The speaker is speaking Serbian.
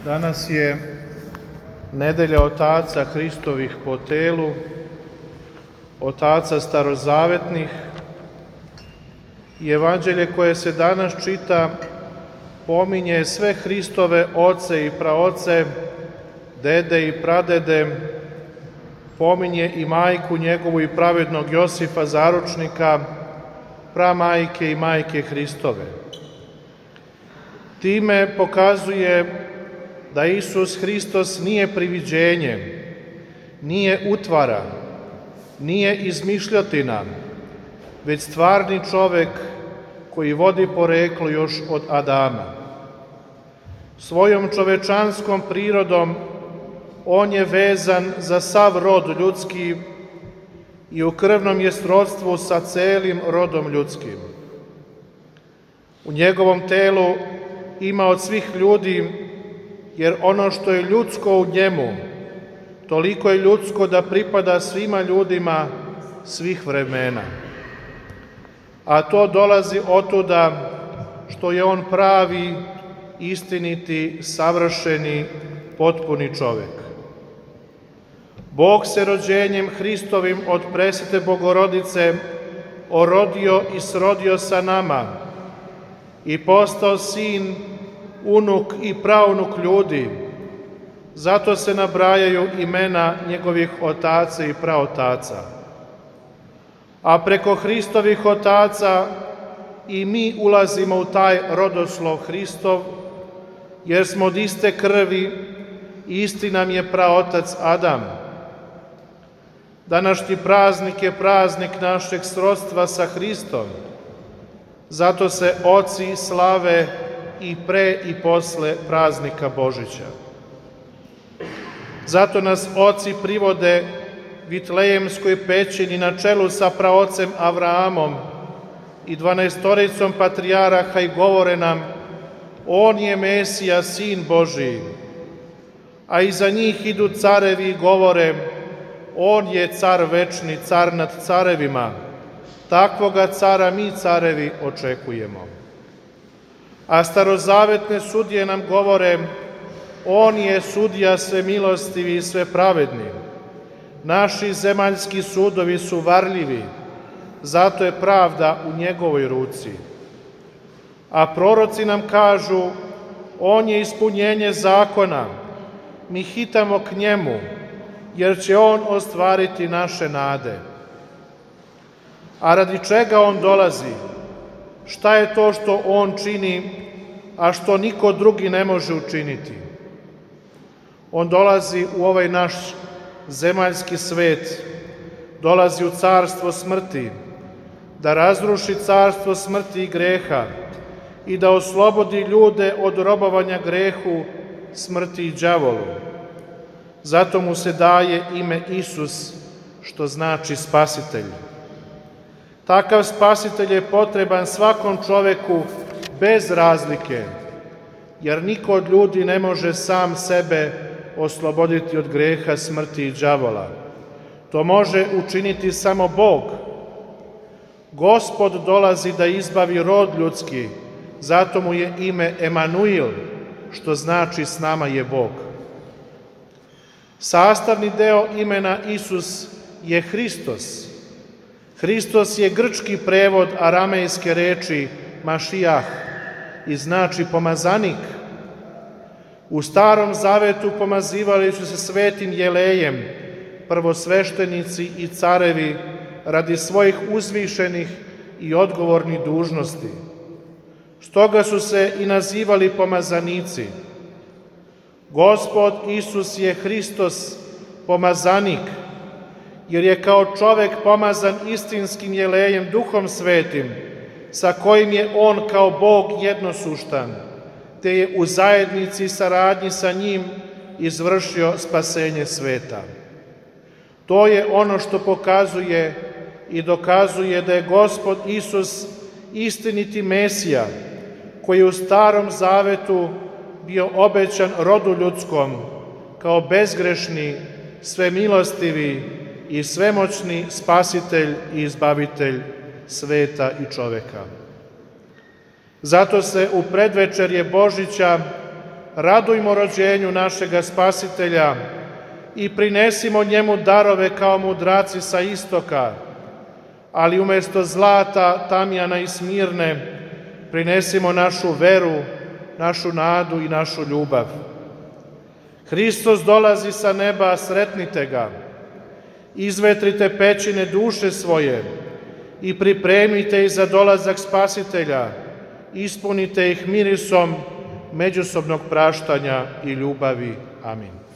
Danas je nedelja otaca Hristovih po telu, otaca starozavetnih, i evanđelje koje se danas čita pominje sve Hristove oce i praoce, dede i pradede, pominje i majku njegovu i pravednog Josifa zaručnika, pramajke i majke Hristove. Time pokazuje da Isus Hristos nije priviđenje, nije utvara, nije izmišljotina, već stvarni čovek koji vodi poreklo još od Adama. Svojom čovečanskom prirodom on je vezan za sav rod ljudski i u krvnom je srodstvu sa celim rodom ljudskim. U njegovom telu ima od svih ljudi, jer ono što je ljudsko u njemu, toliko je ljudsko da pripada svima ljudima svih vremena. A to dolazi otuda što je on pravi, istiniti, savršeni, potpuni čovek. Bog se rođenjem Hristovim od presvete Bogorodice orodio i srodio sa nama i postao sin, unuk i praunuk ljudi. Zato se nabrajaju imena njegovih otaca i praotaca. A preko Hristovih otaca i mi ulazimo u taj rodoslov Hristov, jer smo od iste krvi i isti nam je praotac Adam. Današnji praznik je praznik našeg srodstva sa Hristom. Zato se oci slave i pre i posle praznika Božića. Zato nas oci privode Vitlejemskoj pećini na čelu sa praocem Avraamom i 12 patrijaraha i govore nam: on je Mesija, sin Božiji. A iza njih idu carevi i govore: on je car večni, car nad carevima. Takvoga cara mi, carevi, očekujemo. A starozavetne sudije nam govore: on je sudija sve milostivi i sve pravedni. Naši zemaljski sudovi su varljivi, zato je pravda u njegovoj ruci. A proroci nam kažu: on je ispunjenje zakona, mi hitamo k njemu, jer će on ostvariti naše nade. A radi čega on dolazi? Šta je to što on čini, a što niko drugi ne može učiniti? On dolazi u ovaj naš zemaljski svet, dolazi u carstvo smrti, da razruši carstvo smrti i greha i da oslobodi ljude od robovanja grehu, smrti i đavolu. Zato mu se daje ime Isus, što znači spasitelj. Takav spasitelj je potreban svakom čoveku bez razlike, jer niko od ljudi ne može sam sebe osloboditi od greha, smrti i đavola. To može učiniti samo Bog. Gospod dolazi da izbavi rod ljudski, zato mu je ime Emanuil, što znači s nama je Bog. Sastavni deo imena Isus je Hristos. Hristos je grčki prevod aramejske reči Mašijah i znači pomazanik. U Starom Zavetu pomazivali su se svetim jelejem prvosveštenici i carevi radi svojih uzvišenih i odgovornih dužnosti. Stoga su se i nazivali pomazanici. Gospod Isus je Hristos, pomazanik, jer je kao čovek pomazan istinskim jelejem Duhom Svetim, sa kojim je on kao Bog jednosuštan, te je u zajednici i saradnji sa njim izvršio spasenje sveta. To je ono što pokazuje i dokazuje da je Gospod Isus istiniti Mesija, koji je u Starom Zavetu bio obećan rodu ljudskom kao bezgrešni, svemilostivi i svemoćni spasitelj i izbavitelj sveta i čoveka. Zato se u predvečerje Božića radujmo rođenju našega Spasitelja i prinesimo njemu darove kao mudraci sa istoka, ali umjesto zlata, tamjana i smirne, prinesimo našu veru, našu nadu i našu ljubav. Hristos dolazi sa neba, sretnite ga. Izvetrite pećine duše svoje i pripremite ih za dolazak Spasitelja. Ispunite ih mirisom međusobnog praštanja i ljubavi. Amin.